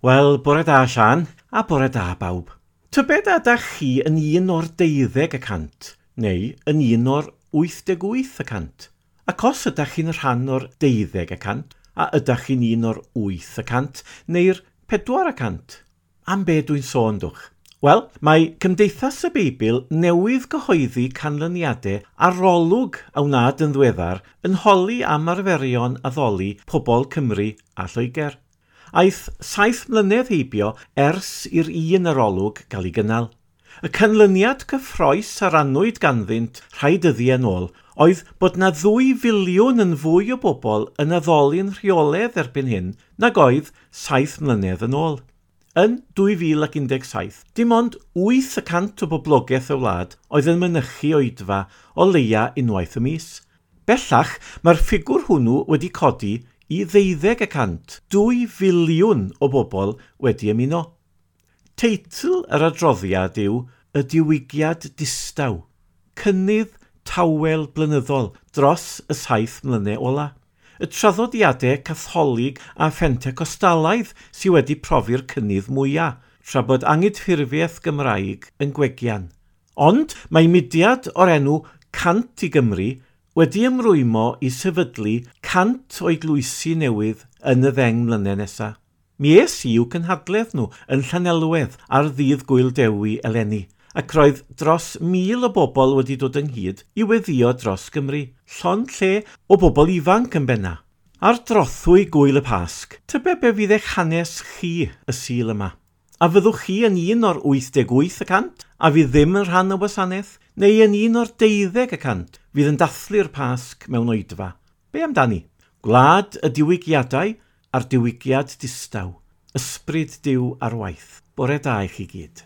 Wel, bore da Sian, a bore da bawb. Tybed a ydach chi yn un o'r 12%, neu yn un o'r 88%? Ac os ydach chi'n rhan o'r 12%, a ydach chi'n un o'r 8% neu'r 4%? Am be dwi'n sôn, dwch? Wel, mae Cymdeithas y Beibl newydd gyhoeddi canlyniadau arolwg a wnaed yn ddiweddar yn holi am arferion addoli pobl Cymru a Lloegr. Aeth 7 mlynedd heibio ers i'r un arolwg gael ei gynnal. Y canlyniad cyffrous a rannwyd ganddynt rhai dyddiau yn ôl oedd bod 'na 2 filiwn yn fwy o bobl yn addoli'n rheolaidd erbyn hyn nag oedd 7 mlynedd yn ôl. Yn 2017, dim ond 8% o boblogaeth y wlad oedd yn mynychu oedfa o leia unwaith y mis. Bellach, mae'r ffigwr hwnnw wedi codi i 12%, 2 filiwn o bobl wedi ymuno. Teitl yr adroddiad yw Y Diwygiad Distaw, cynnydd tawel blynyddol dros y 7 mlynedd ola. Y traddodiadau Catholig a Phentecostalaidd sydd wedi profi'r cynnydd mwyaf, tra bod angydffurfiaeth Gymraeg yn gwegian. Ond mae mudiad o'r enw 100 i Gymru wedi ymrwymo i sefydlu 100 o eglwysi newydd yn y 10 mlynedd nesaf. Mi es i i'w cynhadledd nhw yn Llanelwedd ar ddydd Gŵyl Dewi eleni, ac roedd dros 1,000 o bobl wedi dod ynghyd i weddïo dros Gymru, llond lle o bobl ifanc yn benna. Ar drothwy Gŵyl y Pasg, tybed be fydd eich hanes chi y Sul yma? A fyddwch chi yn un o'r 88% a fydd ddim yn rhan o wasanaeth, neu yn un o'r 12% fydd yn dathlu'r Pasg mewn oedfa? Be amdani? Gwlad y diwygiadau a'r diwygiad distaw. Ysbryd Duw ar waith. Bore da i chi gyd.